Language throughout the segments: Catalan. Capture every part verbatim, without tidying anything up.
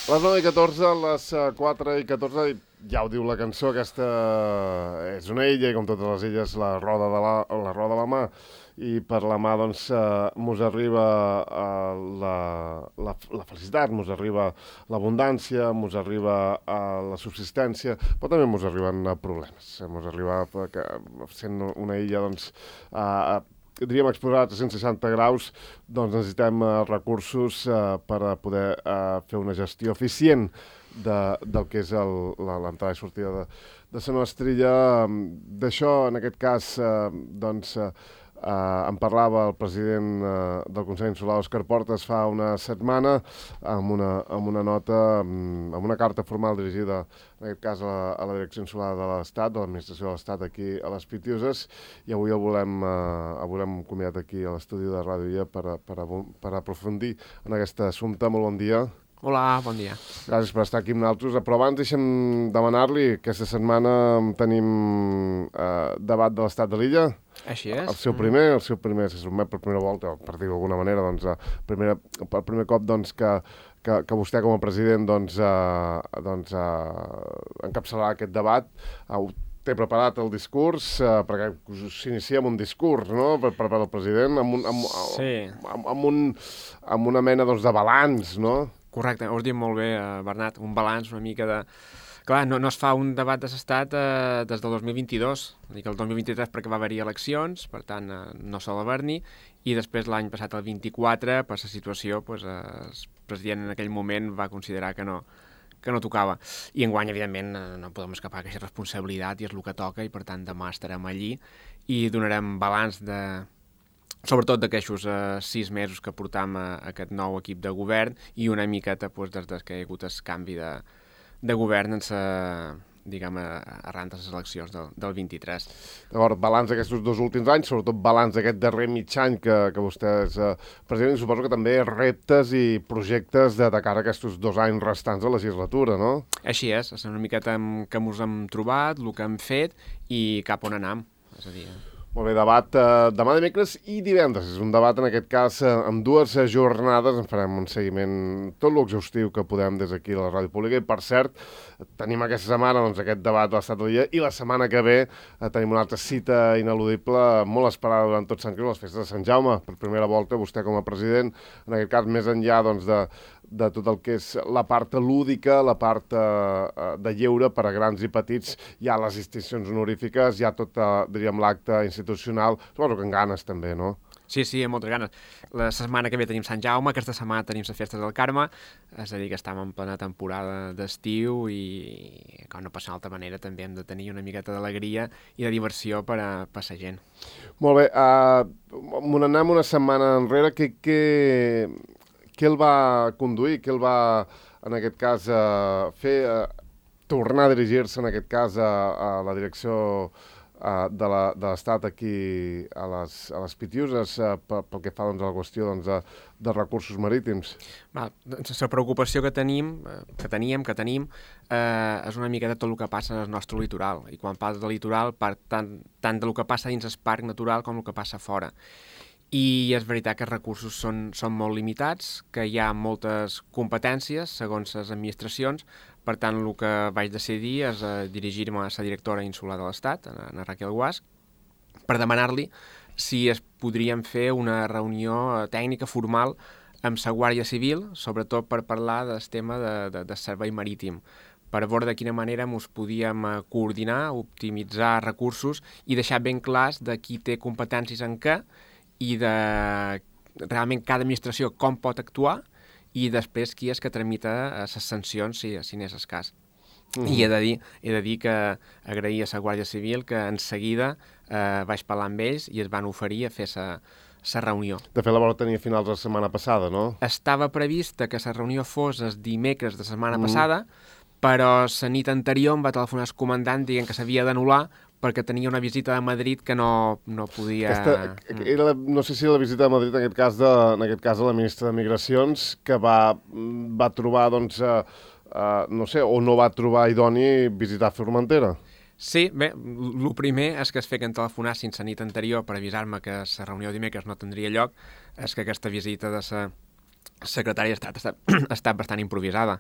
Les nou i catorze, les quatre i catorze, ja ho diu la cançó, aquesta és una illa, i com totes les illes, la roda de la, la, roda de la mà, i per la mà, doncs, eh, mos arriba eh, la, la, la felicitat, mos arriba l'abundància, mos arriba eh, la subsistència, però també mos arriben eh, problemes. Mos arriba, que, sent una illa, doncs, eh, diríem exposar a tres-cents seixanta graus, doncs necessitem uh, recursos uh, per a poder uh, fer una gestió eficient de, del que és l'entrada i sortida de, de la nostra illa. D'això, en aquest cas, uh, doncs, uh, uh, en parlava el president uh, del Consell Insular, Òscar Portas, fa una setmana, amb una, amb una nota, amb una carta formal dirigida, en aquest cas, a la, a la Direcció Insular de l'Estat, de l'Administració de l'Estat aquí a les Pitiuses, i avui el volem, eh, el volem convidat aquí a l'estudi de Ràdio I A per, a, per, a, per a aprofundir en aquest assumpte. Molt bon dia. Hola, bon dia. Gràcies per estar aquí amb nosaltres. Però abans deixem demanar-li, aquesta setmana tenim eh, debat de l'Estat de l'Illa. Així és. El seu primer, el seu primer, se sotmet per primera volta, per dir-ho d'alguna manera, doncs, eh, primera, per primer cop, doncs, que Que, que vostè com a president doncs, eh, doncs, eh, encapçalarà aquest debat. Eh, té preparat el discurs, eh, perquè s'inicia amb un discurs, no?, per, per, per al president, amb, un, amb, sí. amb, amb, un, amb una mena doncs, de balanç, no? Correcte, ho has dit molt bé, eh, Bernat, un balanç una mica de... Clar, no, no es fa un debat de l'estat eh, des del dos mil vint-i-dos, dic el dos mil vint-i-tres perquè va haver-hi eleccions, per tant eh, no sol haver-n'hi, i després l'any passat, el vint-i-quatre, per la situació, doncs, eh, el president en aquell moment va considerar que no, que no tocava. I enguany, evidentment, eh, no podem escapar aquesta responsabilitat i és el que toca, i per tant demà estarem allí i donarem balanç de... sobretot d'aquests eh, sis mesos que portam a, a aquest nou equip de govern i una miqueta doncs, des que hi ha hagut el canvi de de govern en sa, diguem, arran de les eleccions del, del vint-i-tres. D'acord, balanç d'aquests dos últims anys, sobretot balanç d'aquest darrer mig any que, que vostè és eh, president, i suposo que també reptes i projectes de, de cara a aquests dos anys restants de legislatura, no? Així és, és una miqueta que ens hem trobat, el que hem fet i cap on anem, és a dir... Molt bé, debat eh, demà dimecres i divendres. És un debat, en aquest cas, eh, amb dues eh, jornades. En farem un seguiment tot l'exhaustiu que podem des d'aquí a la Ràdio Pública. I, per cert, tenim aquesta setmana doncs, aquest debat de l'Estat de l'Illa i la setmana que ve eh, tenim una altra cita ineludible, molt esperada durant tot Sant Creu, les festes de Sant Jaume. Per primera volta, vostè com a president, en aquest cas, més enllà doncs, de... de tot el que és la part lúdica, la part eh, de lleure per a grans i petits, hi ha les distincions honorífiques, hi ha tot, eh, diríem, l'acte institucional, suposo que en ganes també, no? Sí, sí, amb moltes ganes. La setmana que ve tenim Sant Jaume, aquesta setmana tenim les festes del Carme, és a dir, que estem en plena temporada d'estiu i, com no passa d'altra manera, també hem de tenir una miqueta d'alegria i de diversió per a, per a la gent. Molt bé, uh, m'ho anem una setmana enrere, que... que... Què el va conduir, què el va, en aquest cas, eh, fer, eh, tornar a dirigir-se, en aquest cas, a, a la direcció eh, de l'Estat aquí a les, a les Pitiuses, eh, pel que fa doncs, a la qüestió doncs, de, de recursos marítims? Va, doncs, la preocupació que tenim, que teníem, que tenim, eh, és una mica de tot el que passa en el nostre litoral. I quan parles de litoral, part tant, tant del que passa dins el parc natural com el que passa fora. I és veritat que els recursos són, són molt limitats, que hi ha moltes competències segons les administracions, per tant el que vaig decidir és eh, dirigir-me a la directora insular de l'Estat, a, a Raquel Guasch, per demanar-li si es podríem fer una reunió tècnica formal amb la Guàrdia Civil, sobretot per parlar del tema de, de, de servei marítim, per veure de quina manera ens podíem coordinar, optimitzar recursos i deixar ben clars de qui té competències en què, i de realment cada administració com pot actuar i després qui és que tramita les sancions si, si n'és el cas. Mm-hmm. I he de, dir, he de dir que agrair a la Guàrdia Civil que en seguida eh, vaig parlar amb ells i es van oferir a fer la reunió. De fet, la vau tenir a finals de la setmana passada, no? Estava prevista que la reunió fos el dimecres de la setmana mm. passada, però la nit anterior em va telefonar el comandant dient que s'havia d'anul·lar perquè tenia una visita a Madrid que no, no podia... Aquesta, era la, no sé si la visita a Madrid, en aquest cas, de, en aquest cas de la ministra de Migracions, que va, va trobar, doncs, uh, uh, no sé, o no va trobar idoni visitar Formentera. Sí, bé, el primer és que es feien telefonar sense nit anterior per avisar-me que la reunió dimecres no tindria lloc, és que aquesta visita de la secretària ha estat, ha estat bastant improvisada.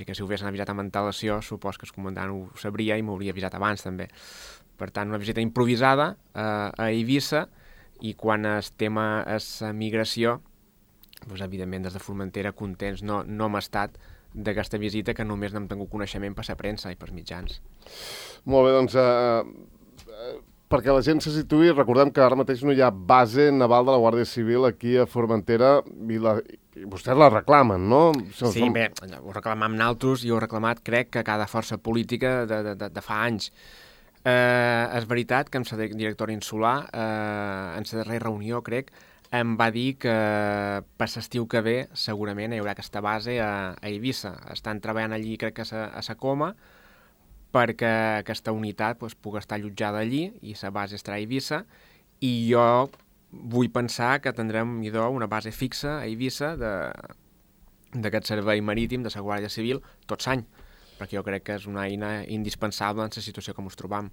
i que si ho haguessin avisat amb antelació, supos que el comandant ho sabria i m'hauria avisat abans també. Per tant, una visita improvisada eh, a Eivissa, i quan el tema és migració, doncs, evidentment, des de Formentera, contents no, no hem estat d'aquesta visita, que només n'hem tingut coneixement per la premsa i per mitjans. Molt bé, doncs, eh, perquè la gent se situï, recordem que ara mateix no hi ha base naval de la Guàrdia Civil aquí a Formentera, i, la, i vostès la reclamen, no? Sí, som... bé, ho reclamam naltros i ho he reclamat, crec, que cada força política de, de, de, de fa anys. Eh, és veritat que amb la directora insular, eh, en la darrera reunió, crec, em va dir que per l'estiu que ve segurament hi haurà aquesta base a, a Eivissa. Estan treballant allí, crec que a la Coma, perquè aquesta unitat doncs, pugui estar allotjada allí i la base estarà a Eivissa, i jo vull pensar que tindrem idò, una base fixa a Eivissa d'aquest servei marítim de la Guàrdia Civil tot l'any, perquè jo crec que és una eina indispensable en la situació que ens trobam.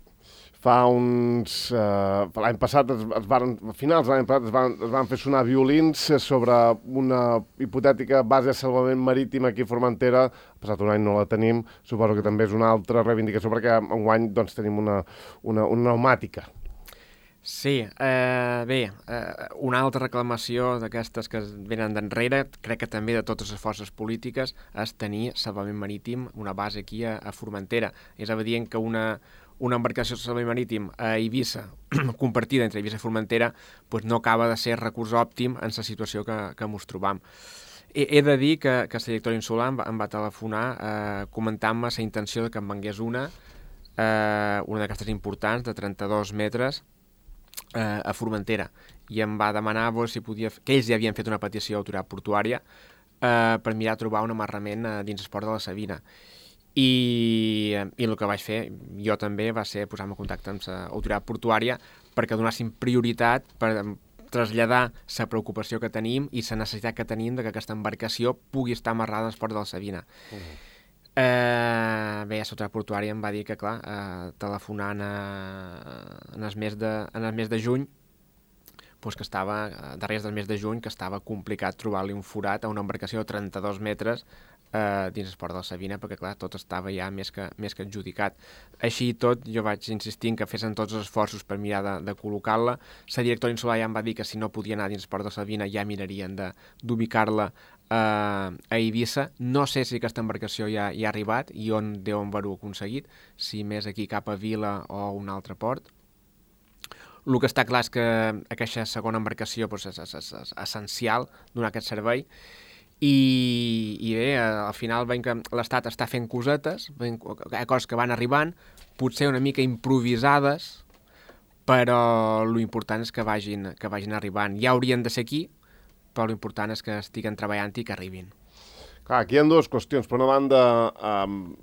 Fa uns... Eh, l'any passat, es, es van, a finals de l'any passat, es van, es van fer sonar violins sobre una hipotètica base de salvament marítim aquí a Formentera. Ha passat un any, no la tenim. Suposo que també és una altra reivindicació, perquè enguany doncs, tenim una, una, una pneumàtica. Sí, eh, bé, eh, una altra reclamació d'aquestes que venen d'enrere, crec que també de totes les forces polítiques, és tenir salvament marítim, una base aquí a, a Formentera. És evident que una, una embarcació de salvament marítim a Eivissa, compartida entre Eivissa i Formentera, doncs no acaba de ser recurs òptim en la situació que, que ens trobam. He, he de dir que, que la directora insular em va, em va telefonar eh, comentant-me la intenció de que em vengués una, eh, una d'aquestes importants, de trenta-dos metres, eh, a Formentera, i em va demanar pues, si podia, que ells ja havien fet una petició a l'autoritat portuària eh, per mirar de trobar un amarrament eh, dins el port de la Sabina. I, i el que vaig fer jo també va ser posar-me en contacte amb l'autoritat portuària perquè donassin prioritat per traslladar la preocupació que tenim i la necessitat que tenim de que aquesta embarcació pugui estar amarrada al port de la Sabina. Uh -huh. Eh, bé, l'autoritat portuària em va dir que, clar, eh, telefonant a, en, el mes de, en el mes de juny, pues que estava, darrere del mes de juny, que estava complicat trobar-li un forat a una embarcació de trenta-dos metres eh, dins el port de la Sabina, perquè, clar, tot estava ja més que, més que adjudicat. Així i tot, jo vaig insistir que fessin tots els esforços per mirar de, de col·locar-la. La directora insular ja em va dir que si no podia anar dins el port de la Sabina ja mirarien d'ubicar-la Uh, a Eivissa. No sé si aquesta embarcació ja, ja ha arribat i on deuen haver-ho aconseguit, si més aquí cap a Vila o un altre port. El que està clar és que aquesta segona embarcació pues, és, és, és, és essencial donar aquest servei i, i bé, al final veiem que l'Estat està fent cosetes, veiem coses que van arribant, potser una mica improvisades, però l'important és que vagin, que vagin arribant. Ja haurien de ser aquí, però l'important és que estiguen treballant i que arribin. Clar, aquí hi ha dues qüestions. Per una banda, um,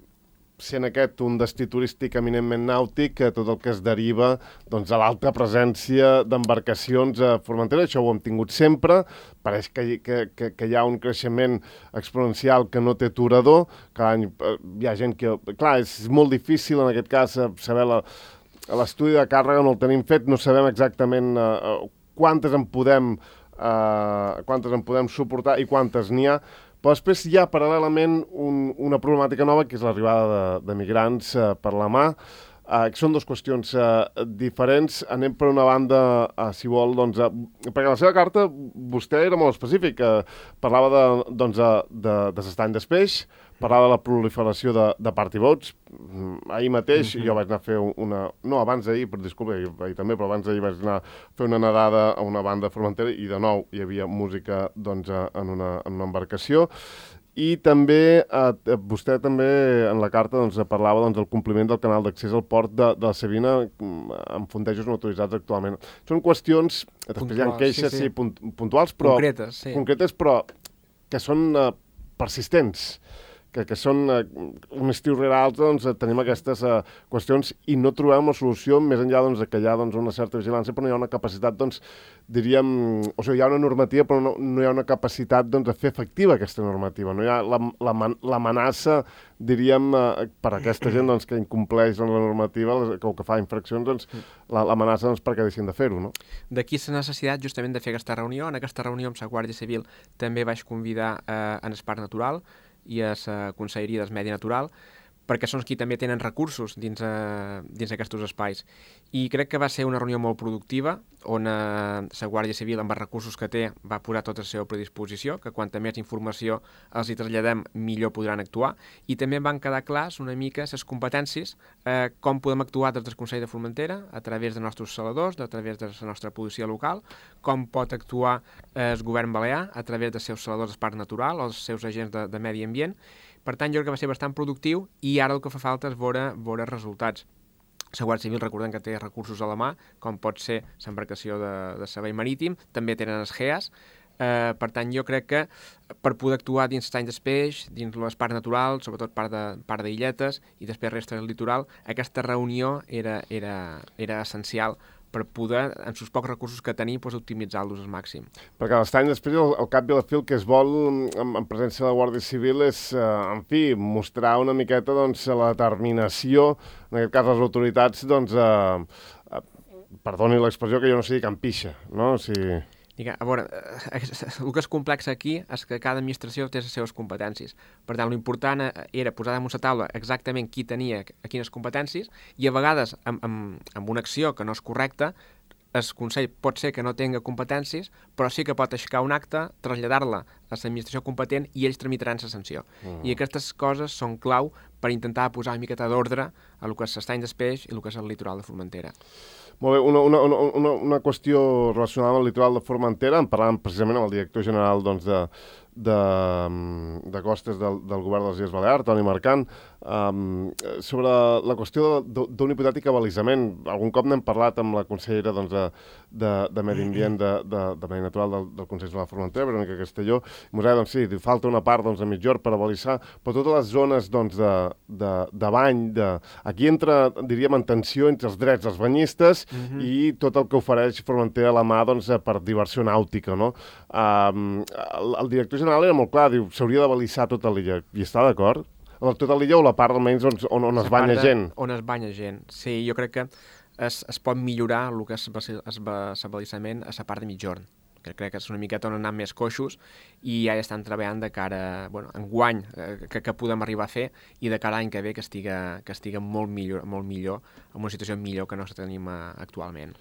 sent aquest un destí turístic eminentment nàutic, que tot el que es deriva doncs, a l'alta presència d'embarcacions a Formentera, això ho hem tingut sempre, pareix que, que, que, que hi ha un creixement exponencial que no té aturador, cada any hi ha gent que... Clar, és molt difícil en aquest cas saber la, l'estudi de càrrega, no el tenim fet, no sabem exactament uh, quantes en podem Uh, quantes en podem suportar i quantes n'hi ha, però després hi ha paral·lelament un, una problemàtica nova que és l'arribada de, de migrants uh, per la mà, uh, que són dues qüestions uh, diferents. Anem per una banda, uh, si vol, doncs, uh, perquè la seva carta vostè era molt específic, uh, parlava de, doncs, uh, de, de l'estany d'espeix, parlava de la proliferació de, de party-boats. Ahir mateix mm-hmm. jo vaig anar a fer una... No, abans d'ahir, per disculpa, ahir, ahir també, però abans d'ahir vaig anar a fer una nedada a una banda de Formentera i de nou hi havia música doncs, en, una, en una embarcació. I també, eh, vostè també en la carta doncs, parlava doncs, del compliment del canal d'accés al port de, de la Sabina amb fondejos no autoritzats actualment. Són qüestions, després hi ha queixes sí, sí. Sí, puntuals, però... Concretes, sí. Concretes, però que són eh, persistents. Que, que són eh, un estiu rere altre, doncs, tenim aquestes eh, qüestions i no trobem una solució més enllà doncs, que hi ha doncs, una certa vigilància, però no hi ha una capacitat, doncs, diríem, o sigui, hi ha una normativa, però no, no hi ha una capacitat doncs, de fer efectiva aquesta normativa. No hi ha l'amenaça, diríem, eh, per a aquesta gent doncs, que incompleix doncs, la normativa que, o que fa infraccions, doncs, l'amenaça doncs, perquè deixin de fer-ho. No? D'aquí la necessitat justament de fer aquesta reunió. En aquesta reunió amb la Guàrdia Civil també vaig convidar eh, en el Parc Natural, i a la Conselleria del Medi Natural, perquè són qui també tenen recursos dins, eh, dins aquests espais. I crec que va ser una reunió molt productiva, on eh, la Guàrdia Civil, amb els recursos que té, va posar tota la seva predisposició, que quanta més informació els hi traslladem, millor podran actuar, i també van quedar clars una mica les competències, eh, com podem actuar des del Consell de Formentera, a través dels nostres saladors, a través de la nostra policia local, com pot actuar eh, el govern balear, a través dels seus saladors del Parc Natural o els seus agents de, de medi ambient. Per tant, jo crec que va ser bastant productiu i ara el que fa falta és veure, veure resultats. La Guàrdia Civil, recordem que té recursos a la mà, com pot ser l'embarcació de, de servei marítim, també tenen els G E A S, eh, per tant, jo crec que per poder actuar dins l'any d'espeix, dins les parcs naturals, sobretot part de part d'illetes i després resta del litoral, aquesta reunió era, era, era essencial per poder, en els pocs recursos que tenim, doncs, optimitzar-los al màxim. Perquè l'estany després, al, al cap i a la fi, el que es vol en, en presència de la Guàrdia Civil és, eh, en fi, mostrar una miqueta doncs, la determinació, en aquest cas les autoritats, doncs, eh, eh, perdoni l'expressió, que jo no sé dir campixa, no? O sigui... Diga, a veure, el que és complex aquí és que cada administració té les seves competències. Per tant, l'important era posar damunt la taula exactament qui tenia quines competències i a vegades, amb, amb, amb una acció que no és correcta, el Consell pot ser que no tinga competències, però sí que pot aixecar un acte, traslladar-la a l'administració competent i ells tramitaran la sanció. Uh-huh. I aquestes coses són clau per intentar posar una miqueta d'ordre a el que és l'estany d'espeix i el que és el litoral de Formentera. Molt bé, una, una, una, una qüestió relacionada amb el litoral de Formentera, en parlàvem precisament amb el director general doncs, de, de, de costes del, del govern de les Illes Balears, Toni Marcant, um, sobre la qüestió d'un hipotètic abalisament. Algun cop n'hem parlat amb la consellera doncs, de, de, de Medi Ambient de, de, de Medi Natural del, del Consell de la Formentera, Verónica Castelló, i mos deia, doncs sí, falta una part doncs, de mitjor per abalisar, però totes les zones doncs, de, de, de bany, de... aquí entra, diríem, en tensió entre els drets dels banyistes Uh-huh. i tot el que ofereix Formentera a la mà doncs, per diversió nàutica. No? Um, el, el director general era molt clar, diu, s'hauria de balisar tota l'illa. I està d'acord? Tota l'illa o la part almenys on, on, on es banya gent? On es banya gent. Sí, jo crec que es, es pot millorar el que és l'abalisament a la part de mitjorn, que crec que és una miqueta on han més coixos i ja estan treballant de cara, bueno, en guany eh, que, que podem arribar a fer i de cara a l'any que ve que estiga, que estiga molt millor, molt millor, en una situació millor que no la tenim eh, actualment.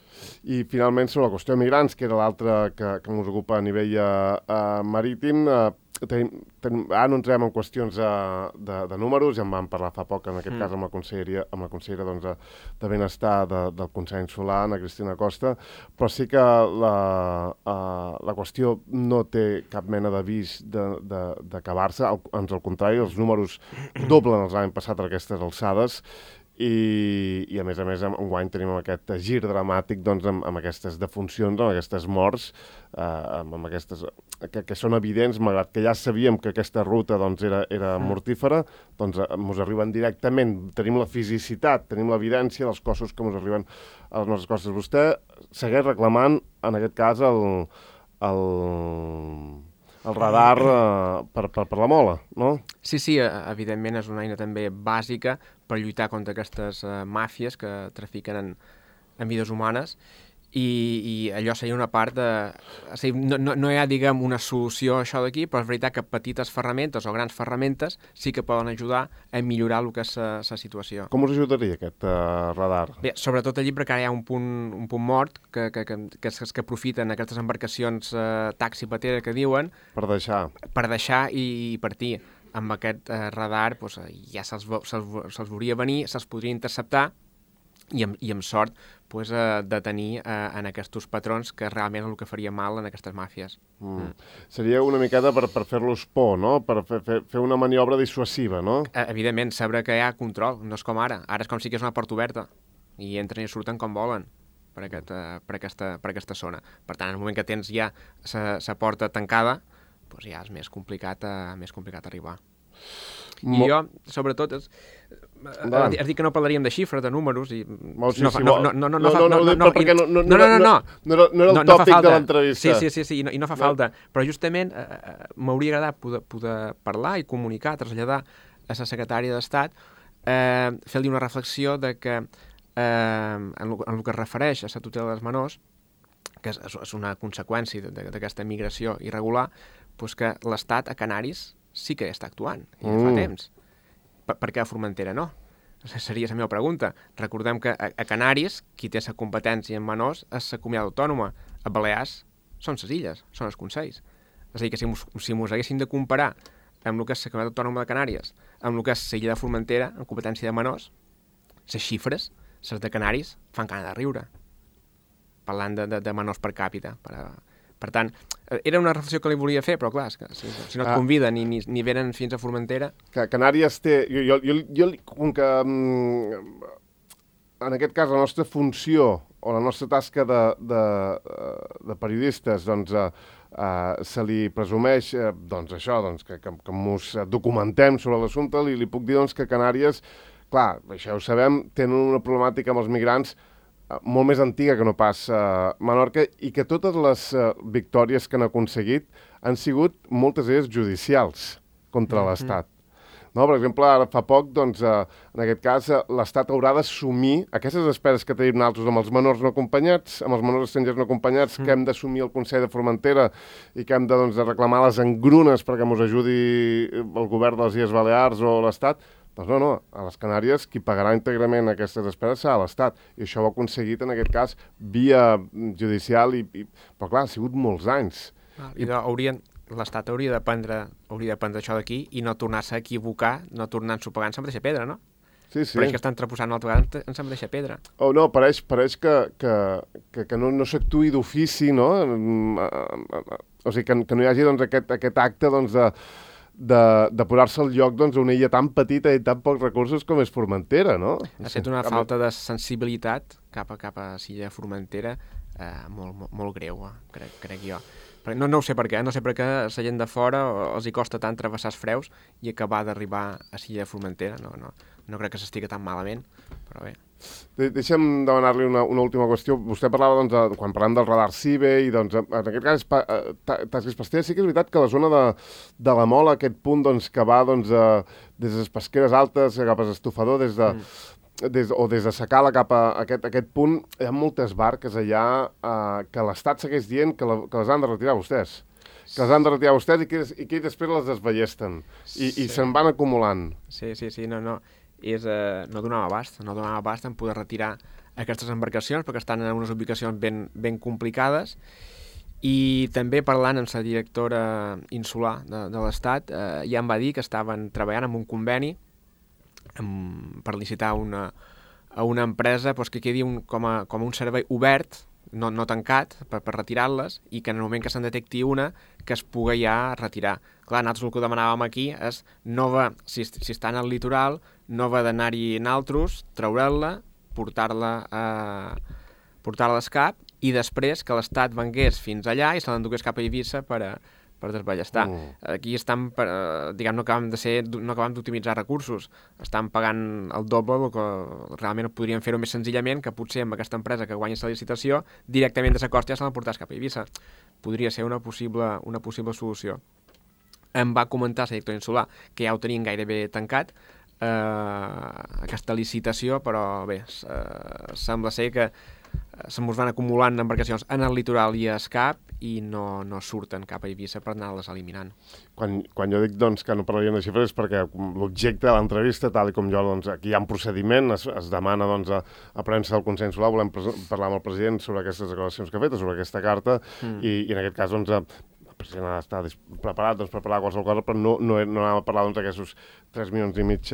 I finalment sobre la qüestió de migrants, que era l'altra que, que ens ocupa a nivell eh, marítim, eh, Tenim, tenim, ara no entrem en qüestions de, de, de números, ja en vam parlar fa poc, en aquest mm. cas amb la conselleria, amb la consellera doncs, de, de Benestar de, del Consell Insular, Ana Cristina Costa, però sí que la, uh, la qüestió no té cap mena d'avís d'acabar-se, ans al contrari, els números doblen els l'any passat a aquestes alçades, I, i a més a més enguany tenim aquest gir dramàtic doncs, amb, amb aquestes defuncions, amb aquestes morts, eh, amb, amb aquestes, que, que són evidents, malgrat que ja sabíem que aquesta ruta doncs, era, era mortífera, doncs ens arriben directament, tenim la fisicitat, tenim l'evidència dels cossos que ens arriben a les nostres costes. Vostè segueix reclamant, en aquest cas, el, el, el radar eh, per, per, per la mola, no? Sí, sí, evidentment és una eina també bàsica per lluitar contra aquestes uh, màfies que trafiquen en, en vides humanes i, i allò seria una part de... O sigui, no, no, no hi ha, diguem, una solució a això d'aquí, però és veritat que petites ferramentes o grans ferramentes sí que poden ajudar a millorar el que és la situació. Com us ajudaria aquest uh, radar? Bé, sobretot allí perquè ara hi ha un punt, un punt mort que, que, que, que, que, que aprofiten aquestes embarcacions uh, taxi-patera que diuen... Per deixar. Per deixar i, i partir. Amb aquest eh, radar doncs, ja se'ls se se veuria venir, se'ls podria interceptar i amb, i amb sort doncs, eh, detenir eh, en aquests patrons que realment és el que faria mal en aquestes màfies. Mm. Mm. Seria una miqueta per, per fer-los por, no? Per fer, fer, fer una maniobra dissuasiva, no? Eh, evidentment, saber que hi ha control, no és com ara. Ara és com si que és una porta oberta i entren i surten com volen per, aquest, eh, per, aquesta, per aquesta zona. Per tant, en el moment que tens ja la porta tancada, doncs ja és més complicat, uh, més complicat arribar. Mo... I jo, sobretot, és, has dit que no parlaríem de xifres, de números, i... Molt, sí, no, sí, no, no, no, no, no, no, no, no, no, perquè no, no, no, no, no, no, no, era, no era el no, tòpic no de l'entrevista. Sí, sí, sí, sí, i no, i no fa no. falta, però justament eh, m'hauria agradat poder, poder parlar i comunicar, traslladar a la secretària d'Estat, eh, fer-li una reflexió de que eh, en, el, en el que es refereix a la tutela dels menors, que és, és una conseqüència d'aquesta migració irregular, doncs que l'Estat a Canaris sí que està actuant, i ja fa Mm. temps. Per, per què a Formentera no? Seria la meva pregunta. Recordem que a, a Canàries, qui té la competència en menors és la comunitat autònoma. A Balears són les illes, són els consells. És a dir, que si mos, si mos haguéssim de comparar amb el que és la comunitat autònoma de Canàries, amb el que és la illa de Formentera, en competència de menors, les xifres, les de Canaris, fan gana de riure. Parlant de, de, de menors per càpita. Per, per tant, era una reflexió que li volia fer, però clar, és que si, si no et conviden ni, ni, ni venen fins a Formentera... Que Canàries té... Jo, jo, jo, jo com que... Mm, en aquest cas, la nostra funció o la nostra tasca de, de, de periodistes, doncs, eh, eh, se li presumeix, eh, doncs, això, doncs, que, que, que mos documentem sobre l'assumpte, li, li puc dir, doncs, que Canàries, clar, això ja ho sabem, tenen una problemàtica amb els migrants molt més antiga que no pas uh, Menorca, i que totes les uh, victòries que han aconseguit han sigut moltes d'elles judicials contra mm-hmm. l'Estat. No, per exemple, ara fa poc, doncs, uh, en aquest cas, uh, l'Estat haurà d'assumir aquestes despeses que tenim nosaltres amb els menors no acompanyats, amb els menors estrangers no acompanyats, mm. que hem d'assumir el Consell de Formentera i que hem de, doncs, de reclamar les engrunes perquè ens ajudi el govern de les Illes Balears o l'Estat. Doncs no, no, a les Canàries qui pagarà íntegrament aquestes despeses serà l'Estat. I això ho ha aconseguit, en aquest cas, via judicial, i, i... però clar, ha sigut molts anys. Ah, I haurien... l'Estat hauria de prendre, hauria de prendre això d'aquí i no tornar-se a equivocar, no tornar-s'ho pagant en mateixa pedra, no? Sí, sí. Pareix que estan treposant una altra vegada en la mateixa pedra. Oh, no, pareix, pareix que, que, que, que no, no s'actuï d'ofici, no? O sigui, que, que no hi hagi, doncs, aquest, aquest acte, doncs, de, de, de posar-se al lloc, doncs, una illa tan petita i tan pocs recursos com és Formentera, no? Ha estat una falta de sensibilitat cap a, cap a l'illa Formentera eh, molt, molt, molt greu, eh, crec, crec jo. No, no ho sé per què, no sé per què a la gent de fora els hi costa tant travessar els freus i acabar d'arribar a l'illa de Formentera. No, no, no crec que s'estigui tan malament, però bé. De Deixa'm demanar-li una, una última qüestió. Vostè parlava, doncs, de, quan parlem del radar CIBE, i doncs, en aquest cas, Tasques Pesqueres, sí que és veritat que la zona de, de la Mola, aquest punt, doncs, que va, doncs, a, des de les pesqueres altes cap a l'estofador, des de... Mm. Des, o des de Sacala cap a aquest, aquest punt, hi ha moltes barques allà eh, que l'Estat segueix dient que, la, que les han de retirar vostès. Que les han de retirar vostès i que, i que després les desballesten. I, sí. i se'n van acumulant. Sí, sí, sí, no, no. És, eh, no donava abast, no donava abast en poder retirar aquestes embarcacions perquè estan en unes ubicacions ben, ben complicades. I també parlant amb la directora insular de, de l'Estat, eh, ja em va dir que estaven treballant en un conveni amb, per licitar una, a una empresa doncs, que quedi un, com, a, com a un servei obert, no, no tancat, per, per retirar-les, i que en el moment que se'n detecti una, que es pugui ja retirar. Clar, nosaltres el que demanàvem aquí és, no va, si, si està en el litoral, no va d'anar-hi naltros, treure-la, portar-la a portar-la a l'escap, i després que l'Estat vengués fins allà i se l'endugués cap a Eivissa per a per desballestar. Mm. Aquí estan, per, diguem, no acabem de ser, no acabem d'optimitzar recursos. Estan pagant el doble del que realment podrien fer-ho més senzillament, que potser amb aquesta empresa que guanya la licitació, directament de la costa ja se l'emportàs cap a Eivissa. Podria ser una possible, una possible solució. Em va comentar la directora insular que ja ho tenien gairebé tancat, eh, aquesta licitació, però bé, eh, sembla ser que se'n van acumulant embarcacions en el litoral i a Escap i no, no surten cap a Eivissa per anar-les eliminant. Quan, quan jo dic doncs, que no parlaríem de xifres és perquè l'objecte de l'entrevista, tal com jo, doncs, aquí hi ha un procediment, es, es demana doncs, a, a premsa del Consell Insular, volem parlar amb el president sobre aquestes declaracions que ha fet, sobre aquesta carta, mm. i, i en aquest cas doncs, el president ha d'estar preparat doncs, per parlar de qualsevol cosa, però no, no, no anàvem a parlar doncs, d'aquests tres milions i mig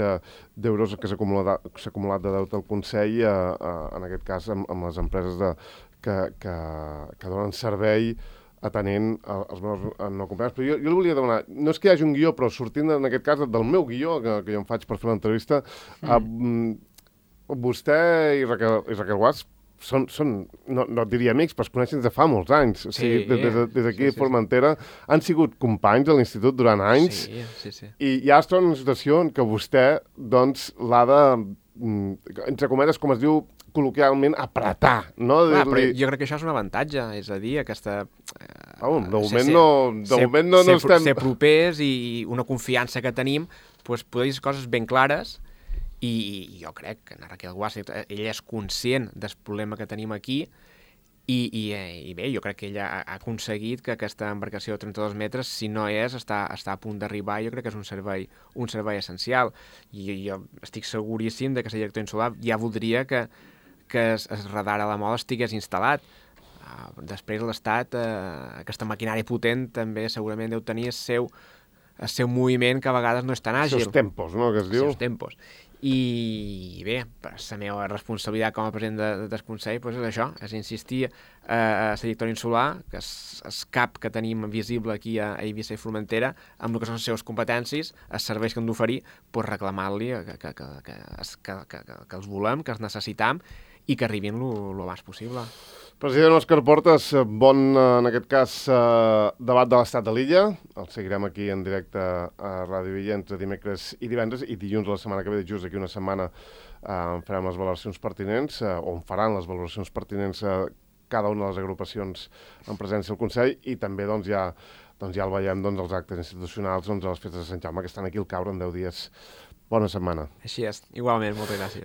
d'euros que s'ha acumulat, acumulat de deute al Consell, eh, eh, en aquest cas amb, amb les empreses de, que, que, que donen servei atenent els meus no acompanyats. Però jo, jo li volia demanar, no és que hi hagi un guió, però sortint en aquest cas del meu guió, que, que jo em faig per fer l'entrevista, mm. eh, vostè i Raquel, i Raquel Guas són, són no, no et diria amics, però es coneixen des de fa molts anys. O sigui, sí, des, des d'aquí sí, sí, a Formentera sí. Han sigut companys a l'institut durant anys, sí, sí, sí. I ja es troba en una situació en què vostè doncs, l'ha de, entre cometes, com es diu, col·loquialment, apretar, no? Clar, però jo crec que això és un avantatge, és a dir, aquesta... Eh, oh, de moment ser, no, de ser, moment no, no ser, estem... Ser propers i una confiança que tenim, doncs poder dir coses ben clares, i jo crec que en Raquel Guas, ell és conscient del problema que tenim aquí, I, i, i bé, jo crec que ell ha, ha aconseguit que aquesta embarcació de trenta-dos metres, si no és, està, està a punt d'arribar. Jo crec que és un servei, un servei essencial. I jo, jo estic seguríssim de que la director insular ja voldria que, que el, el radar a la moda estigués instal·lat. Uh, després l'Estat, uh, aquesta maquinària potent, també segurament deu tenir el seu, el seu moviment, que a vegades no és tan àgil. Els seus tempos, no?, que es diu. Els seus tempos. I bé, la meva responsabilitat com a president de, de, del Consell pues és això, és insistir eh, a la directora insular, que és el cap que tenim visible aquí a Eivissa i Formentera, amb el que són les seves competències, els serveis que han d'oferir, pues reclamar-li que, que, que, que, que, que, que els volem, que els necessitam i que arribin el abans possible. President Òscar Portas, bon, en aquest cas, eh, debat de l'estat de l'illa. El seguirem aquí en directe a Ràdio Illa entre dimecres i divendres, i dilluns la setmana que ve, just aquí una setmana, eh, farem les valoracions pertinents, eh, o en faran les valoracions pertinents a cada una de les agrupacions en presència del Consell, i també doncs, ja, doncs, ja el veiem doncs, els actes institucionals doncs, a les festes de Sant Jaume, que estan aquí al caure en deu dies. Bona setmana. Així és, igualment, moltes gràcies.